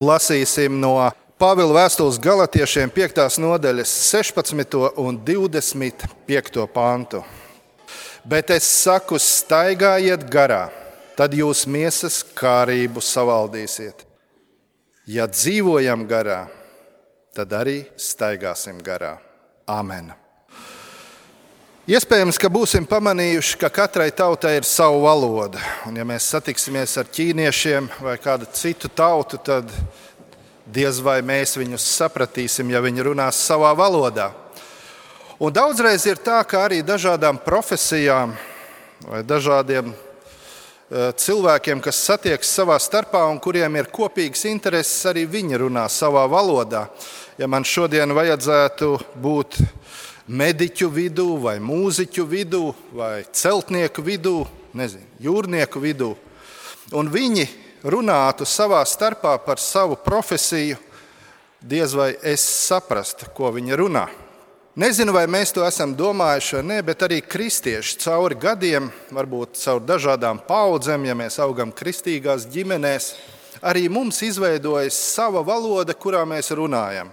Lasīsim no Pāvila vēstules Galatiešiem 5. nodaļas 16. un 25. pantu. Bet es saku, staigājiet garā, tad jūs miesas kārību savaldīsiet. Ja dzīvojam garā, tad arī staigāsim garā. Āmen. Iespējams, ka būsim pamanījuši, ka katrai tautai ir sava valoda. Un ja mēs satiksimies ar ķīniešiem vai kādu citu tautu, tad diez vai mēs viņus sapratīsim, ja viņi runās savā valodā. Un daudzreiz ir tā, ka arī dažādām profesijām vai dažādiem cilvēkiem, kas satiekas savā starpā un kuriem ir kopīgs intereses, arī viņi runā savā valodā. Ja man šodien vajadzētu būt mediķu vidū, vai mūziķu vidū, vai celtnieku vidū, jūrnieku vidū, un viņi runātu savā starpā par savu profesiju, diez vai es saprastu, ko viņi runā. Nezinu, vai mēs to esam domājuši vai nē, bet arī kristieši cauri gadiem, varbūt caur dažādām paudzēm, ja mēs augam kristīgās ģimenēs, arī mums izveidojas sava valoda, kurā mēs runājam.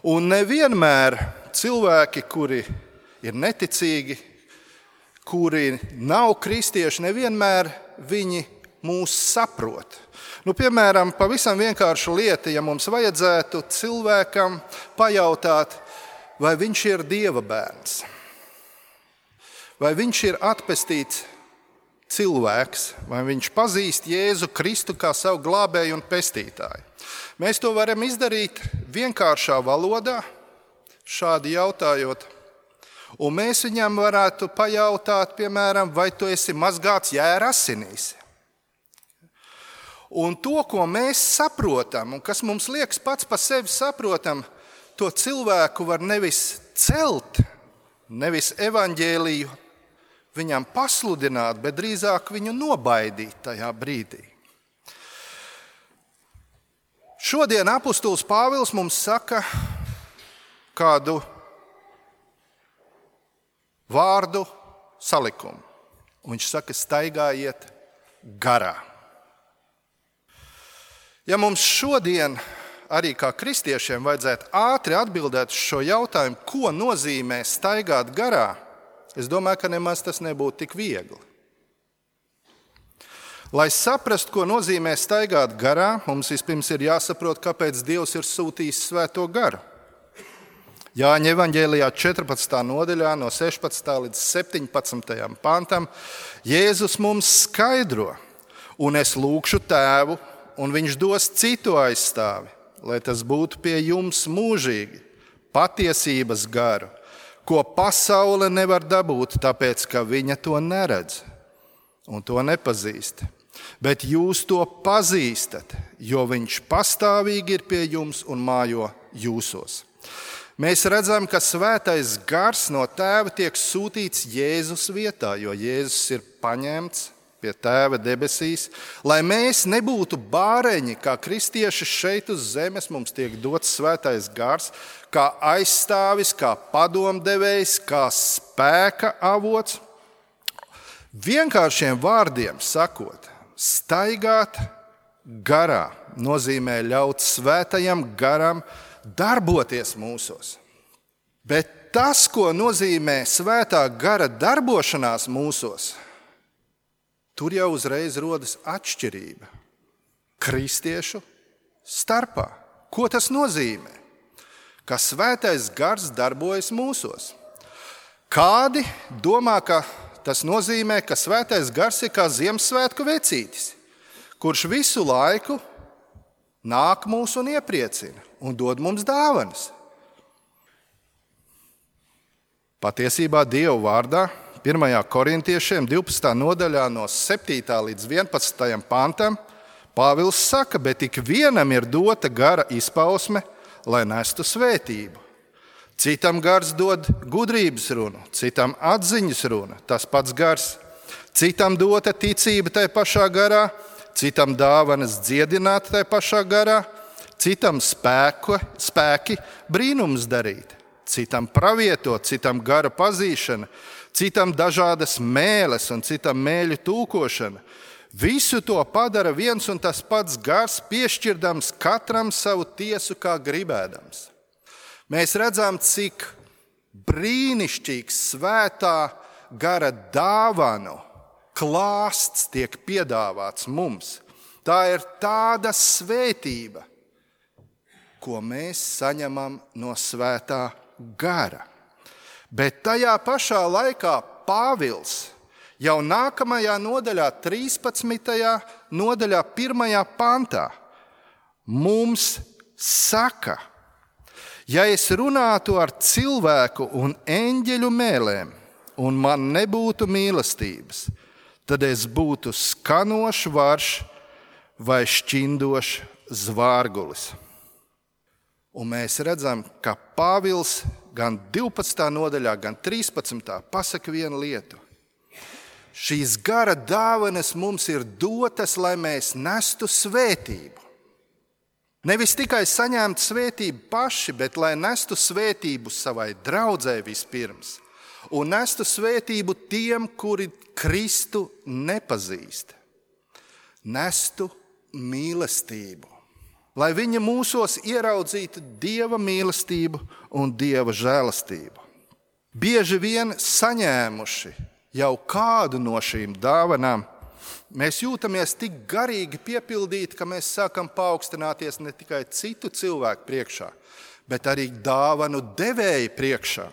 Un nevienmēr cilvēki, kuri ir neticīgi, kuri nav kristieši, nevienmēr viņi mūs saprot. Piemēram, pavisam vienkārša lieta, ja mums vajadzētu cilvēkam pajautāt, vai viņš ir Dieva bērns, vai viņš ir atpestīts cilvēks, vai viņš pazīst Jēzu Kristu kā savu glābēju un pestītāju. Mēs to varam izdarīt vienkāršā valodā, šādi jautājot, un mēs viņam varētu pajautāt, piemēram, vai tu esi mazgāts jēra asinīs. Un to, ko mēs saprotam, un kas mums liekas pats par sevi saprotam, to cilvēku var nevis celt, nevis evaņģēliju viņam pasludināt, bet drīzāk viņu nobaidīt tajā brīdī. Šodien apustulis Pāvils mums saka kādu vārdu salikumu. Viņš saka, staigājiet garā. Ja mums šodien arī kā kristiešiem vajadzētu ātri atbildēt uz šo jautājumu, ko nozīmē staigāt garā, es domāju, ka nemaz tas nebūtu tik viegli. Lai saprastu, ko nozīmē staigāt garā, mums vispirms ir jāsaprot, kāpēc Dievs ir sūtījis Svēto garu. Jāņa evaņģēlijā 14. nodaļā no 16. līdz 17. pantam Jēzus mums skaidro, un es lūgšu Tēvu, un viņš dos citu aizstāvi, lai tas būtu pie jums mūžīgi, patiesības garu, ko pasaule nevar dabūt, tāpēc, ka viņa to neredz un to nepazīst. Bet jūs to pazīstat, jo viņš pastāvīgi ir pie jums un mājo jūsos. Mēs redzam, ka Svētais gars no Tēva tiek sūtīts Jēzus vietā, jo Jēzus ir paņemts pie Tēva debesīs, lai mēs nebūtu bāreņi, kā kristieši šeit uz zemes, mums tiek dots Svētais gars, kā aizstāvis, kā padomdevējs, kā spēka avots. Vienkāršiem vārdiem sakot, staigāt garā nozīmē ļaut Svētajam garam darboties mūsos. Bet tas, ko nozīmē Svētā gara darbošanās mūsos, tur jau uzreiz rodas atšķirība kristiešu starpā. Ko tas nozīmē? Ka Svētais gars darbojas mūsos. Kādi domā, ka tas nozīmē, ka Svētais gars ir kā Ziemassvētku vecītis, kurš visu laiku nāk mūs un iepriecina un dod mums dāvanas? Patiesībā Dieva vārdā 1. korintiešiem 12. nodaļā no 7. līdz 11. pantam Pāvils saka, bet ik vienam ir dota gara izpausme, lai nestu svētību. Citam gars dod gudrības runu, citam atziņas runa, tas pats gars. Citam dota ticība tajā pašā garā, citam dāvanas dziedināt tajā pašā garā, citam spēki brīnums darīt, citam pravietot, citam gara pazīšana, citam dažādas mēles un citam mēļu tūkošana. Visu to padara viens un tas pats gars, piešķirdams katram savu tiesu kā gribēdams. Mēs redzam, cik brīnišķīgs svētā gara dāvanu klāsts tiek piedāvāts mums. Tā ir tāda svētība, ko mēs saņemam no svētā gara. Bet tajā pašā laikā Pāvils jau nākamajā nodaļā, 13. nodaļā, 1. pantā, mums saka, ja es runātu ar cilvēku un eņģeļu mēlēm, un man nebūtu mīlestības, tad es būtu skanošs varš vai šķindošs zvārgulis. Un mēs redzam, ka Pāvils gan 12. nodaļā, gan 13. pasaka vienu lietu. Šīs gara dāvanas mums ir dotas, lai mēs nestu svētību. Nevis tikai saņemt svētību paši, bet lai nestu svētību savai draudzē vispirms. Un nestu svētību tiem, kuri Kristu nepazīst. Nestu mīlestību. Lai viņi mūsos ieraudzītu Dieva mīlestību un Dieva žēlastību. Bieži vien saņēmuši jau kādu no šīm dāvanām, mēs jūtamies tik garīgi piepildīti, ka mēs sākam paaugstināties ne tikai citu cilvēku priekšā, bet arī dāvanu devēju priekšā.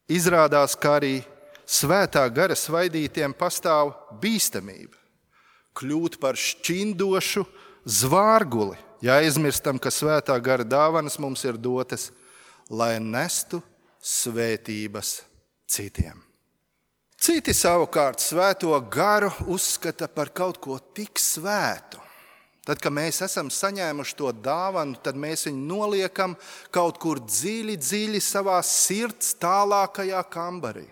Izrādās, ka arī svētā gara svaidītiem pastāv bīstamība. Kļūt par šķindošu zvārguli, ja aizmirstam, ka svētā gara dāvanas mums ir dotas, lai nestu svētības citiem. Citi savukārt svēto garu uzskata par kaut ko tik svētu. Tad, kad mēs esam saņēmuši to dāvanu, tad mēs viņu noliekam kaut kur dziļi, dziļi savā sirds tālākajā kambarī.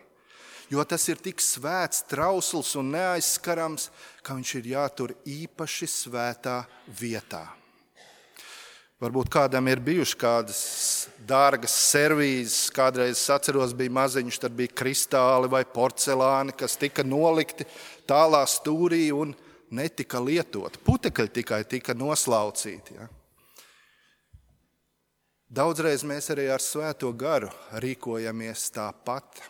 Jo tas ir tik svēts, trausls un neaizskarams, ka viņš ir jātur īpaši svētā vietā. Varbūt kādam ir bijuši kādas dārgas servīzes, kādreiz es atceros, bija maziņš, tad bija kristāli vai porcelāni, kas tika nolikti tālā stūrī un netika lietot. Putekļi tikai tika noslaucīti. Ja? Daudzreiz mēs arī ar svēto garu rīkojamies tāpat.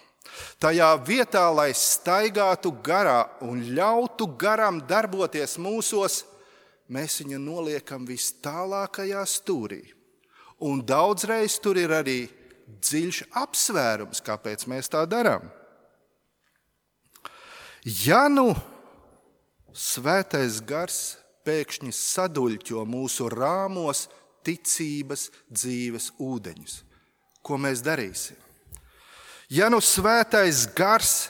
Tajā vietā, lai staigātu garā un ļautu garam darboties mūsos, mēs viņu noliekam vis tālākajā stūrī. Un daudzreiz tur ir arī dziļš apsvērums, kāpēc mēs tā darām. Ja nu svētais gars pēkšņi saduļķo mūsu rāmos ticības dzīves ūdeņus, ko mēs darīsim? Ja nu svētais gars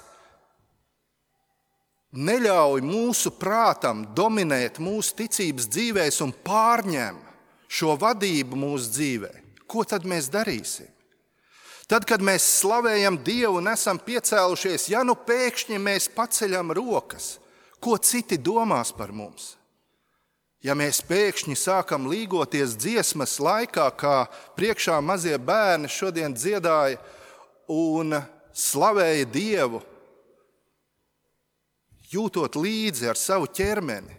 neļauj mūsu prātam dominēt mūsu ticības dzīvēs un pārņem šo vadību mūsu dzīvē, ko tad mēs darīsim? Tad, kad mēs slavējam Dievu un esam piecēlušies, ja nu pēkšņi mēs paceļam rokas, ko citi domās par mums? Ja mēs pēkšņi sākam līgoties dziesmas laikā, kā priekšā mazie bērni šodien dziedāja, un slavēja Dievu, jūtot līdzi ar savu ķermeni,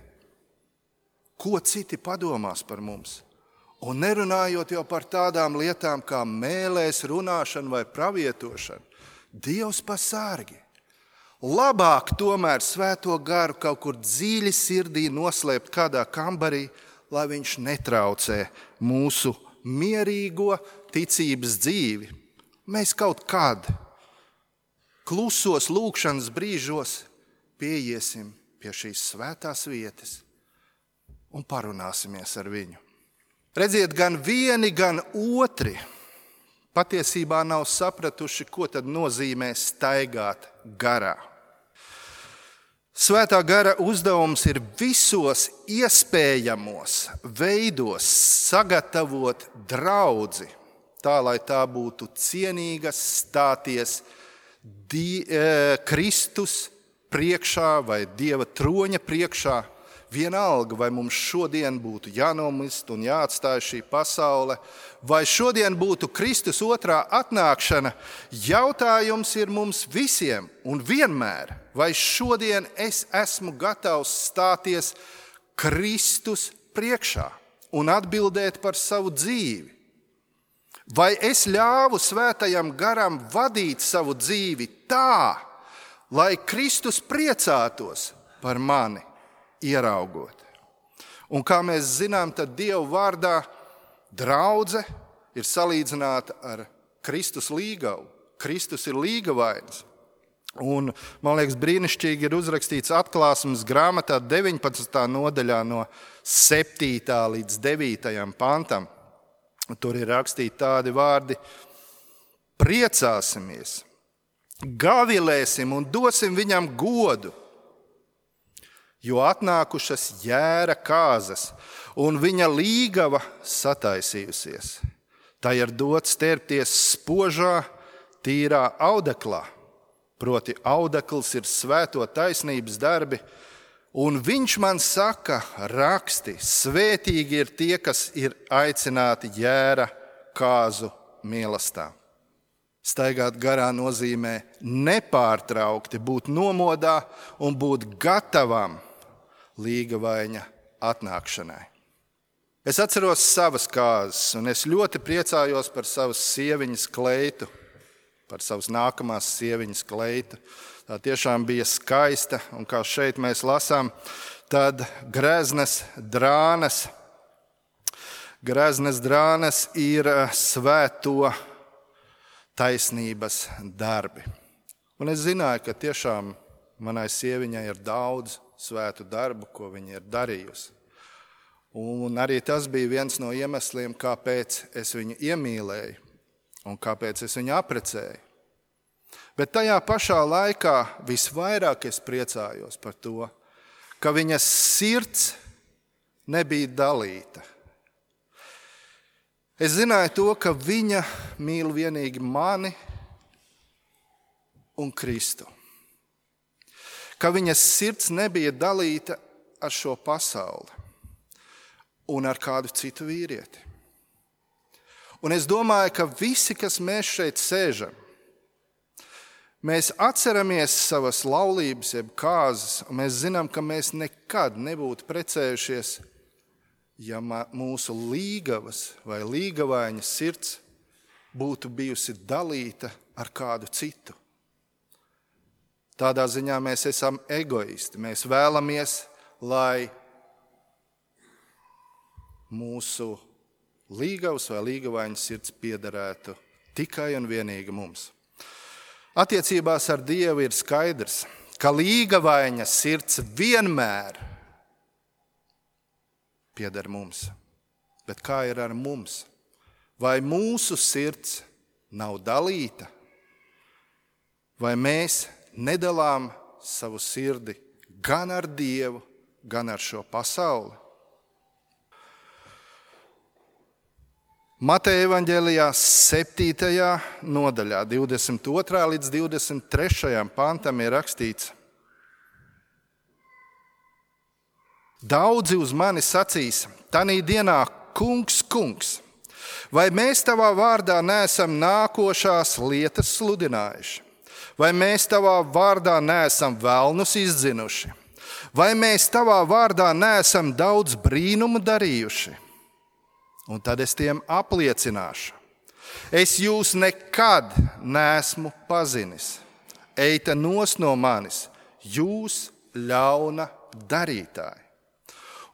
ko citi padomās par mums. Un nerunājot jau par tādām lietām kā mēlēs, runāšana vai pravietošana. Dievs pasargi. Labāk tomēr svēto garu kaut kur dziļi sirdī noslēpt kādā kambarī, lai viņš netraucē mūsu mierīgo ticības dzīvi. Mēs kaut kad klusos lūkšanas brīžos pieiesim pie šīs svētās vietas un parunāsimies ar viņu. Redziet, gan vieni, gan otri patiesībā nav sapratuši, ko tad nozīmē staigāt garā. Svētā gara uzdevums ir visos iespējamos veidos sagatavot draudzi, tā, lai tā būtu cienīga stāties Kristus priekšā vai Dieva troņa priekšā vienalga, vai mums šodien būtu jānomist un jāatstāj šī pasaule, vai šodien būtu Kristus otrā atnākšana, jautājums ir mums visiem un vienmēr, vai šodien es esmu gatavs stāties Kristus priekšā un atbildēt par savu dzīvi. Vai es ļāvu svētajam garam vadīt savu dzīvi tā, lai Kristus priecātos par mani ieraugot. Un kā mēs zinām, tad Dieva vārdā draudze ir salīdzināta ar Kristus līgavu. Kristus ir līgavains. Un, man liekas, brīnišķīgi ir uzrakstīts Atklāsmes grāmatā 19. nodaļā no 7. līdz 9. pantam. Tur ir rakstīti tādi vārdi: priecāsimies, gavilēsim un dosim viņam godu, jo atnākušas jēra kāzas un viņa līgava sataisījusies. Tā ir dots sterpties spožā, tīrā audeklā, proti audekls ir svēto taisnības darbi, un viņš man saka, raksti, svētīgi ir tie, kas ir aicināti jēra kāzu mīlestā. Staigāt garā nozīmē nepārtraukti būt nomodā un būt gatavam līgavaina atnākšanai. Es atceros savas kāzas, un es ļoti priecājos par savas sieviņas kleitu, par savas nākamās sieviņas kleitu. Tā tiešām bija skaista, un kā šeit mēs lasām, tad greznas drānas ir svēto taisnības darbi. Un es zināju, ka tiešām manai sieviņai ir daudz svētu darbu, ko viņa ir darījusi. Un arī tas bija viens no iemesliem, kāpēc es viņu iemīlēju un kāpēc es viņu apprecēju. Bet tajā pašā laikā visvairāk es priecājos par to, ka viņas sirds nebija dalīta. Es zināju to, ka viņa mīl vienīgi mani un Kristu. Ka viņas sirds nebija dalīta ar šo pasauli un ar kādu citu vīrieti. Un es domāju, ka visi, kas mēs šeit sēžam, mēs atceramies savas laulības, jeb kāzas, un mēs zinām, ka mēs nekad nebūtu precējušies, ja mūsu līgavas vai līgavaina sirds būtu bijusi dalīta ar kādu citu. Tādā ziņā mēs esam egoisti. Mēs vēlamies, lai mūsu līgavas vai līgavaina sirds piederētu tikai un vienīgi mums. Attiecībās ar Dievu ir skaidrs, ka līgavaina sirds vienmēr pieder mums. Bet kā ir ar mums? Vai mūsu sirds nav dalīta? Vai mēs nedalām savu sirdi gan ar Dievu, gan ar šo pasauli? Mateja evaņģēlijā 7. nodaļā, 22. līdz 23. pantam ir rakstīts: Daudzi uz mani sacīs, tanī dienā, kungs, kungs, vai mēs tavā vārdā neesam nākošās lietas sludinājuši? Vai mēs tavā vārdā neesam velnus izdzinuši? Vai mēs tavā vārdā neesam daudz brīnumu darījuši? Un tad es tiem apliecināšu: es jūs nekad neesmu pazinis. Eita nos no manis, jūs ļauna darītāji.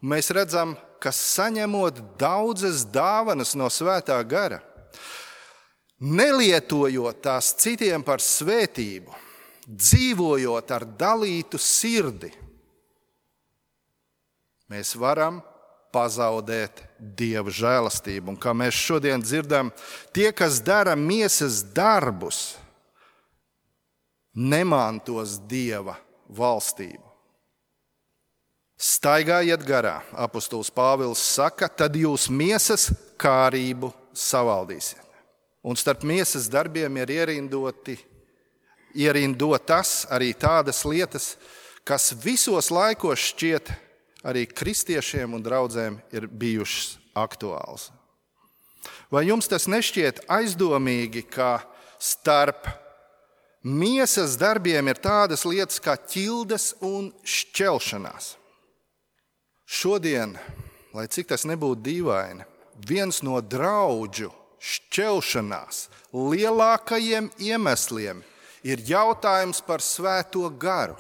Un mēs redzam, ka saņemot daudzas dāvanas no svētā gara, nelietojot tās citiem par svētību, dzīvojot ar dalītu sirdi, mēs varam pazaudēt Dieva žēlastību. Un kā mēs šodien dzirdam, tie, kas dara miesas darbus, nemantos Dieva valstību. Staigājiet garā, apostols Pāvils saka, tad jūs miesas kārību savaldīsiet. Un starp miesas darbiem ir ierindotas arī tādas lietas, kas visos laikos šķiet arī kristiešiem un draudzēm ir bijušas aktuāls. Vai jums tas nešķiet aizdomīgi, ka starp miesas darbiem ir tādas lietas kā ķildes un šķelšanās? Šodien, lai cik tas nebūtu dīvaini, viens no draudžu šķelšanās lielākajiem iemesliem ir jautājums par Svēto garu.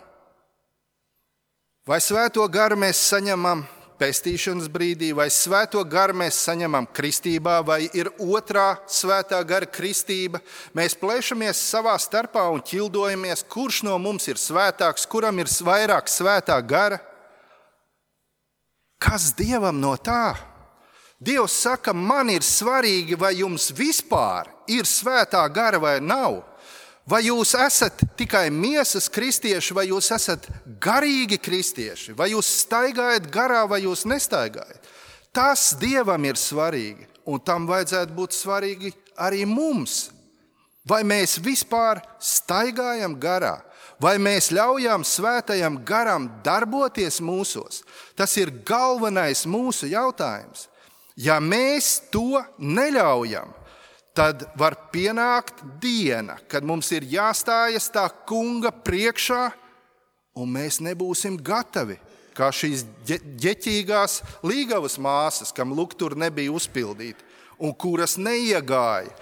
Vai Svēto garu mēs saņemam pestīšanas brīdī, vai Svēto garu mēs saņemam kristībā, vai ir otrā Svētā gara kristība? Mēs plēšamies savā starpā un ķildojamies, kurš no mums ir svētāks, kuram ir vairāk Svētā gara? Kas Dievam no tā? Dievs saka, man ir svarīgi, vai jums vispār ir Svētā gara vai nav. Vai jūs esat tikai miesas kristieši, vai jūs esat garīgi kristieši, vai jūs staigājat garā, vai jūs nestaigājat. Tas Dievam ir svarīgi, un tam vajadzētu būt svarīgi arī mums. Vai mēs vispār staigājam garā, vai mēs ļaujam Svētajam garam darboties mūsos? Tas ir galvenais mūsu jautājums. Ja mēs to neļaujam, tad var pienākt diena, kad mums ir jāstājas tā kunga priekšā, un mēs nebūsim gatavi, kā šīs ģeķīgās līgavas māsas, kam luktur nebija uzpildīti, un kuras neiegāja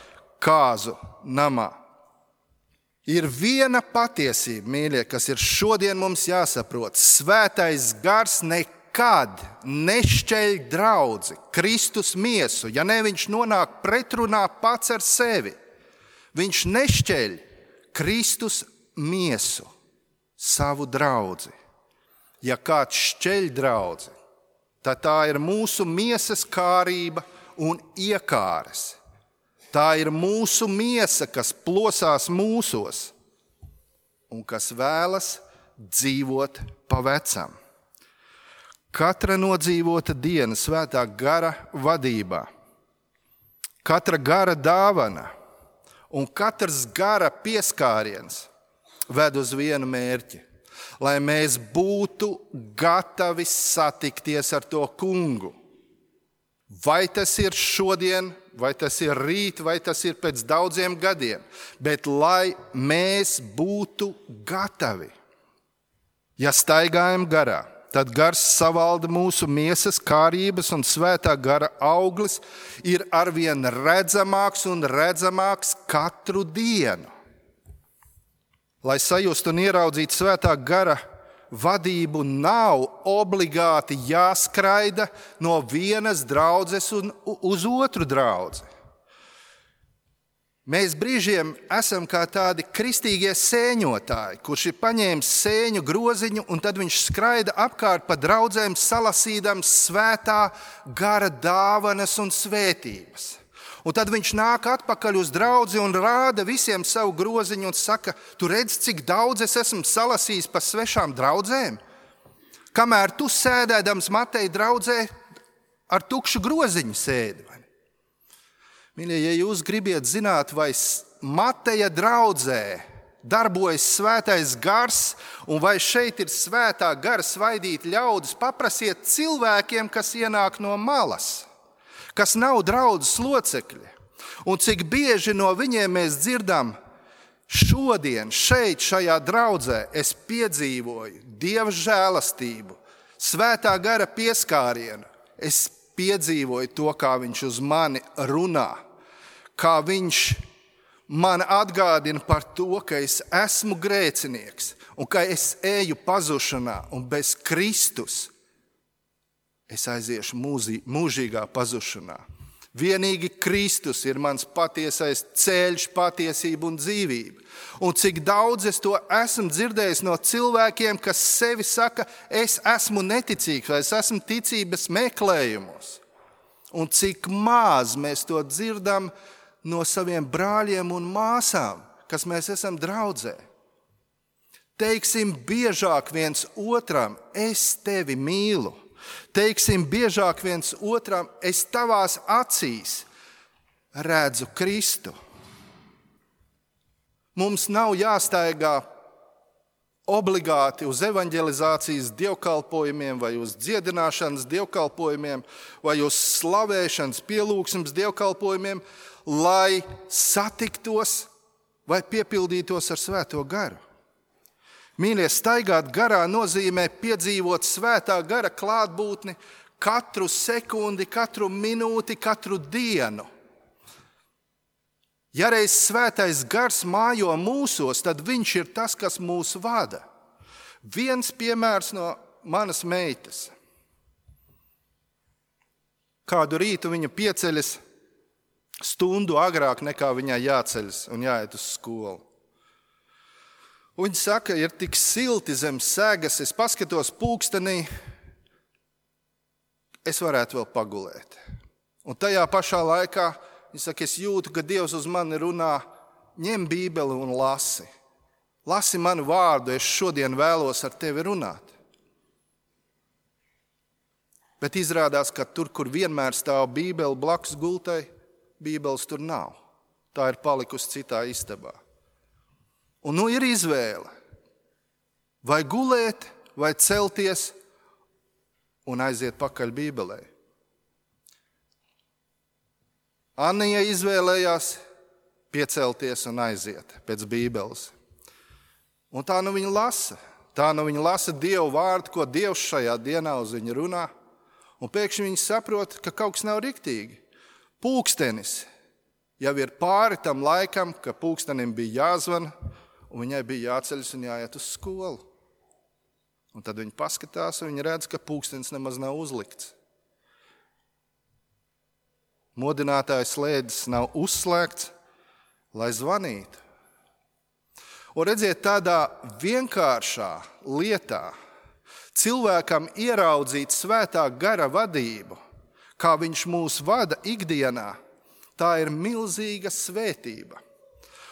kāzu namā. Ir viena patiesība, mīļie, kas ir šodien mums jāsaprot. Svētais gars nekad nešķeļ draudzi, Kristus miesu, ja ne viņš nonāk pretrunā pats ar sevi. Viņš nešķeļ Kristus miesu, savu draudzi. Ja kāds šķeļ draudzi, tad tā ir mūsu miesas kārība un iekāres. Tā ir mūsu miesa, kas plosās mūsos un kas vēlas dzīvot pa vecam. Katra nodzīvota diena Svētā gara vadībā, katra gara dāvana un katrs gara pieskāriens ved uz vienu mērķi, lai mēs būtu gatavi satikties ar to kungu. Vai tas ir šodien, vai tas ir rīt, vai tas ir pēc daudziem gadiem, bet lai mēs būtu gatavi. Ja staigājam garā, tad gars savalda mūsu miesas kārības un Svētā gara auglis ir arvien redzamāks un redzamāks katru dienu. Lai sajustu un ieraudzītu Svētā gara vadību, nav obligāti jāskraida no vienas draudzes uz otru draudzi. Mēs brīžiem esam kā tādi kristīgie sēņotāji, kurš ir paņēmis sēņu groziņu un tad viņš skraida apkārt pa draudzēm salasīdams Svētā gara dāvanas un svētības. Un tad viņš nāk atpakaļ uz draudzi un rāda visiem savu groziņu un saka, tu redz, cik daudz es esmu salasījis pa svešām draudzēm? Kamēr tu sēdēdams Mateja draudzē ar tukšu groziņu sēdi. Mīļie, ja jūs gribiet zināt, vai Mateja draudzē darbojas Svētais gars un vai šeit ir Svētā gara svaidīti ļaudis, paprasiet cilvēkiem, kas ienāk no malas, kas nav draudzes locekļi. Un cik bieži no viņiem mēs dzirdam, šodien šeit, šajā draudzē, es piedzīvoju Dieva žēlastību, Svētā gara pieskārienu. Es piedzīvoju to, kā viņš uz mani runā, kā viņš man atgādina par to, ka es esmu grēcinieks un ka es eju pazušanā un bez Kristus es aiziešu mūžīgā pazušanā. Vienīgi Kristus ir mans patiesais ceļš, patiesība un dzīvība. Un cik daudz es to esmu dzirdējis no cilvēkiem, kas sevi saka, es esmu neticīgs vai es esmu ticības meklējumos. Un cik maz mēs to dzirdam no saviem brāļiem un māsām, kas mēs esam draudzē. Teiksim biežāk viens otram, es tevi mīlu. Teiksim biežāk viens otram, es tavās acīs redzu Kristu. Mums nav jāstaigā obligāti uz evanģelizācijas dievkalpojumiem vai uz dziedināšanas dievkalpojumiem vai uz slavēšanas pielūgsmes dievkalpojumiem, lai satiktos vai piepildītos ar Svēto garu. Mīļie, staigāt garā nozīmē piedzīvot Svētā gara klātbūtni katru sekundi, katru minūti, katru dienu. Ja reiz Svētais gars mājo mūsos, tad viņš ir tas, kas mūs vada. Viens piemērs no manas meitas. Kādu rītu viņa pieceļas stundu agrāk nekā viņai jāceļas un jāiet uz skolu. Viņa saka, ir tik silti zem segas, es paskatos pulkstenī, es varētu vēl pagulēt. Un tajā pašā laikā viņa saka, es jūtu, ka Dievs uz mani runā, ņem Bībeli un lasi. Lasi manu vārdu, es šodien vēlos ar tevi runāt. Bet izrādās, ka tur, kur vienmēr stāv Bībele blakus gultai, Bībeles tur nav. Tā ir palikusi citā istabā. Un nu ir izvēle. Vai gulēt, vai celties un aiziet pakaļ Bībelē. Annija izvēlējās piecelties un aiziet pēc Bībeles. Un tā nu viņa lasa. Tā nu viņa lasa Dievu vārdu, ko Dievs šajā dienā uz viņu runā. Un pēkšņi viņa saprot, ka kaut kas nav riktīgi. Pulkstenis jau ir pāri tam laikam, ka pulkstenim bija jāzvana, un viņai bija jāceļas un jāiet uz skolu. Un tad viņa paskatās, un viņa redz, ka pulkstenis nemaz nav uzlikts. Modinātājs slēdzis nav uzslēgts, lai zvanītu. Un redziet, tādā vienkāršā lietā cilvēkam ieraudzīt Svētā gara vadību, kā viņš mūs vada ikdienā, tā ir milzīga svētība.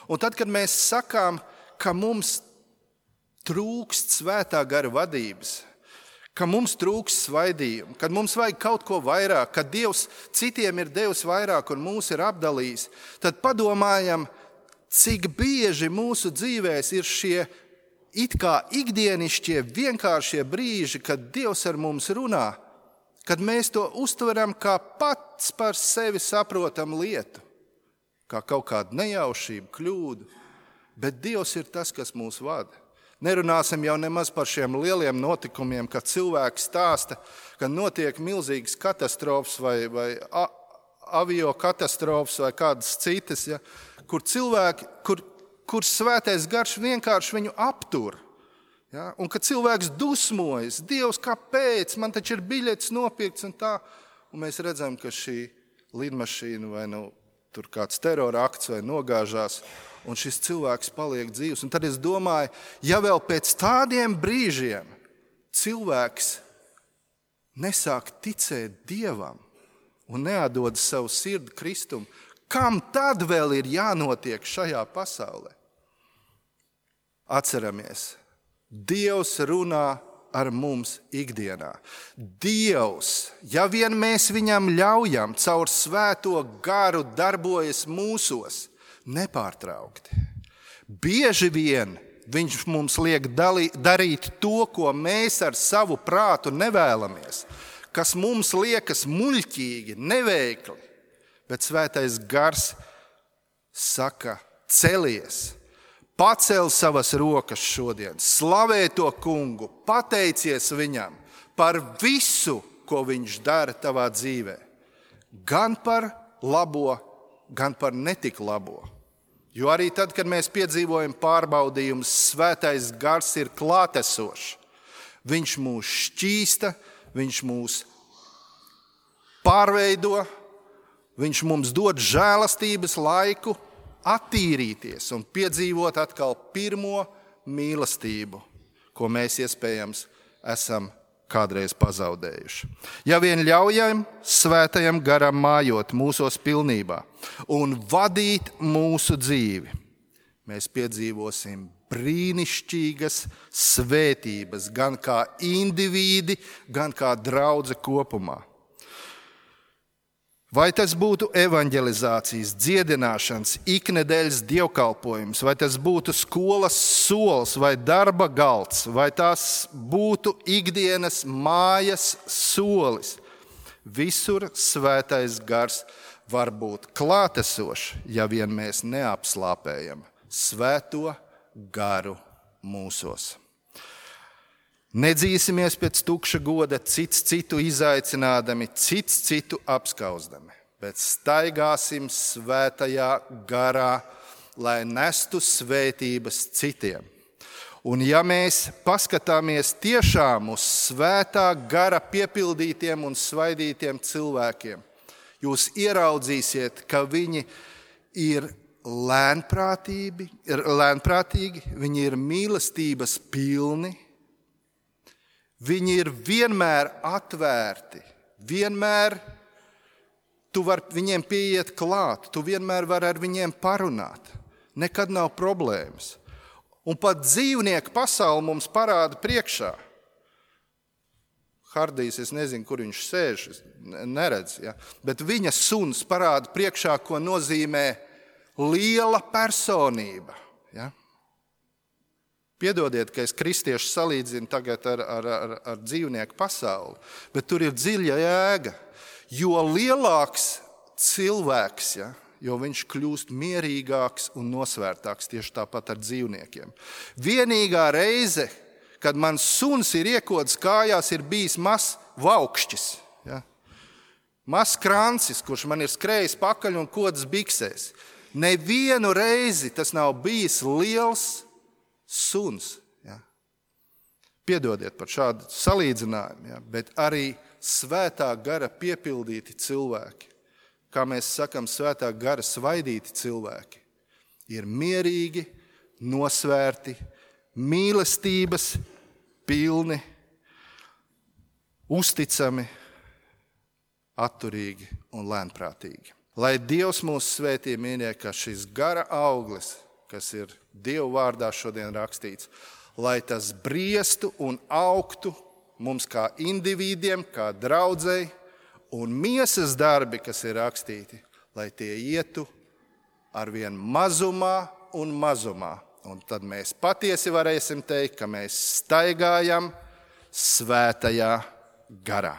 Un tad, kad mēs sakām, ka mums trūkst Svētā gara vadības, ka mums trūkst svaidījumu, kad mums vajag kaut ko vairāk, kad Dievs citiem ir devis vairāk un mūs ir apdalījis, tad padomājam, cik bieži mūsu dzīvēs ir šie it kā ikdienišķie, vienkāršie brīži, kad Dievs ar mums runā, kad mēs to uztveram kā pats par sevi saprotam lietu, kā kaut kādu nejaušību, kļūdu. Bet Dievs ir tas, kas mūs vada. Nerunāsim jau nemaz par šiem lieliem notikumiem, kad cilvēki stāsta, ka notiek milzīgas katastrofas vai avio katastrofas vai kādas citas, ja, kur cilvēki, kur Svētais gars vienkārši viņu aptur. Ja, un kad cilvēks dusmojas, Dievs, kāpēc? Man taču ir biļetes nopirkts un tā. Un mēs redzam, ka šī lidmašīna vai tur kāds terora akts vai nogāžās, un šis cilvēks paliek dzīvs. Un tad es domāju, ja vēl pēc tādiem brīžiem cilvēks nesāk ticēt Dievam un neatdod savu sirdi Kristum, kam tad vēl ir jānotiek šajā pasaulē? Atceramies, Dievs runā ar mums ikdienā. Dievs, ja vien mēs viņam ļaujam, caur Svēto garu darbojas mūsos nepārtraukti. Bieži vien viņš mums liek darīt to, ko mēs ar savu prātu nevēlamies, kas mums liekas muļķīgi, neveikli, bet Svētais gars saka, celies, pacel savas rokas šodien, slavē to kungu, pateicies viņam par visu, ko viņš dara tavā dzīvē. Gan par labo, gan par netik labo. Jo arī tad, kad mēs piedzīvojam pārbaudījumus, Svētais gars ir klātesošs. Viņš mūs šķīsta, viņš mūs pārveido, viņš mums dod žēlastības laiku attīrīties un piedzīvot atkal pirmo mīlestību, ko mēs iespējams esam kādreiz pazaudējuši. Ja vien ļaujam Svētajam garam mājot mūsos pilnībā un vadīt mūsu dzīvi, mēs piedzīvosim brīnišķīgas svētības, gan kā indivīdi, gan kā draudze kopumā. Vai tas būtu evanģelizācijas, dziedināšanas, iknedēļas dievkalpojums, vai tas būtu skolas sols vai darba galds, vai tās būtu ikdienas mājas solis. Visur svētais gars var būt klātesošs, ja vien mēs neapslāpējam svēto garu mūsos. Nedzīsimies pēc tukša goda, cits citu izaicinādami, cits citu apskauzdami, bet staigāsim svētajā garā, lai nestu svētības citiem. Un ja mēs paskatāmies tiešām uz svētā gara piepildītiem un svaidītiem cilvēkiem, jūs ieraudzīsiet, ka viņi ir lēnprātīgi, viņi ir mīlestības pilni, viņi ir vienmēr atvērti, vienmēr tu vari viņiem pieiet klāt, tu vienmēr vari ar viņiem parunāt, nekad nav problēmas. Un pat dzīvnieku pasauli mums parāda priekšā. Hardijs, es nezinu, kur viņš sēž, neredz, ja? Bet viņa suns parāda priekšā, ko nozīmē liela personība. Ja? Piedodiet, ka es kristiešu salīdzinu tagad ar dzīvnieku pasauli, bet tur ir dziļa jēga. Jo lielāks cilvēks, ja, jo viņš kļūst mierīgāks un nosvērtāks, tieši tāpat ar dzīvniekiem. Vienīgā reize, kad mans suns ir iekods kājās, ir bijis mazs vaukšķis. Ja? Mazs krancis, kurš man ir skrējis pakaļ un kodas biksēs. Nevienu reizi tas nav bijis liels suns. Ja? Piedodiet par šādu salīdzinājumu, ja? Bet arī svētā gara piepildīti cilvēki, kā mēs sakam, svētā gara svaidīti cilvēki, ir mierīgi, nosvērti, mīlestības pilni, uzticami, atturīgi un lēnprātīgi. Lai Dievs mūs svētī, mīļie, ka šis gara auglis, kas ir Dievu vārdā šodien rakstīts, lai tas briestu un augtu mums kā individiem, kā draudzei, un miesas darbi, kas ir rakstīti, lai tie ietu arvien mazumā un mazumā. Un tad mēs patiesi varēsim teikt, ka mēs staigājam svētajā garā.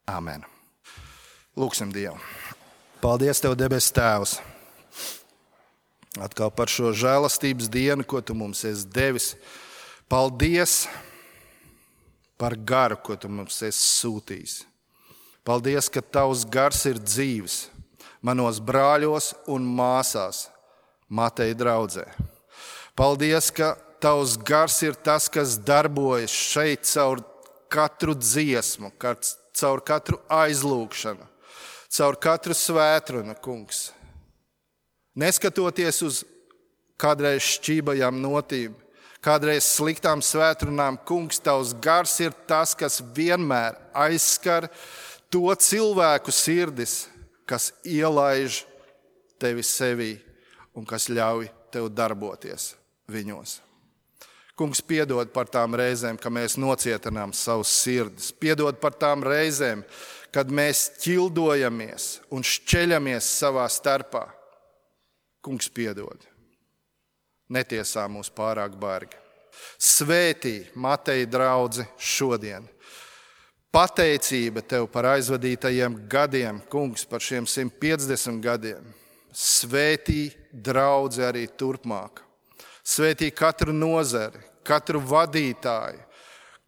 Amen. Lūksim Dievu. Paldies Tev, debes Tēvs, atkal par šo žēlastības dienu, ko Tu mums esi devis. Paldies par garu, ko Tu mums esi sūtījis. Paldies, ka Tavs gars ir dzīves manos brāļos un māsās, Mateja draudzē. Paldies, ka Tavs gars ir tas, kas darbojas šeit caur katru dziesmu, caur katru aizlūgšanu, caur katru svētrunu, kungs. Neskatoties uz kādreiz šķībajām notīm, kādreiz sliktām svētrunām, kungs, Tavs gars ir tas, kas vienmēr aizskar to cilvēku sirdis, kas ielaiž Tevi sevī un kas ļauj Tev darboties viņos. Kungs, piedod par tām reizēm, ka mēs nocietinām savus sirdis. Piedod par tām reizēm, kad mēs ķildojamies un šķeļamies savā starpā. Kungs, piedod. Netiesā mūs pārāk bargi. Svētī Mateja draudzi šodien. Pateicība Tev par aizvadītajiem gadiem, kungs, par šiem 150 gadiem. Svētī draudzi arī turpmāk. Svētī katru nozari, katru vadītāju,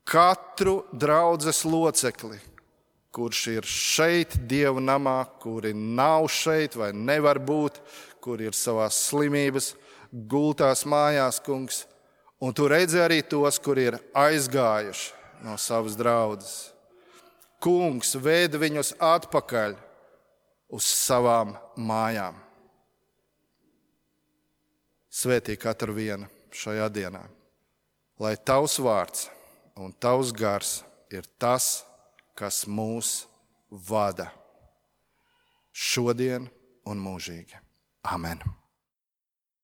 katru draudzes locekli, kurš ir šeit Dieva namā, kuri nav šeit vai nevar būt, kuri ir savās slimības gultās mājās, kungs. Un Tu redzi arī tos, kuri ir aizgājuši no savas draudzes. Kungs, ved viņus atpakaļ uz savām mājām. Svētī katru vienu šajā dienā, lai Tavs vārds un Tavs gars ir tas, kas mūs vada šodien un mūžīgi. Amen.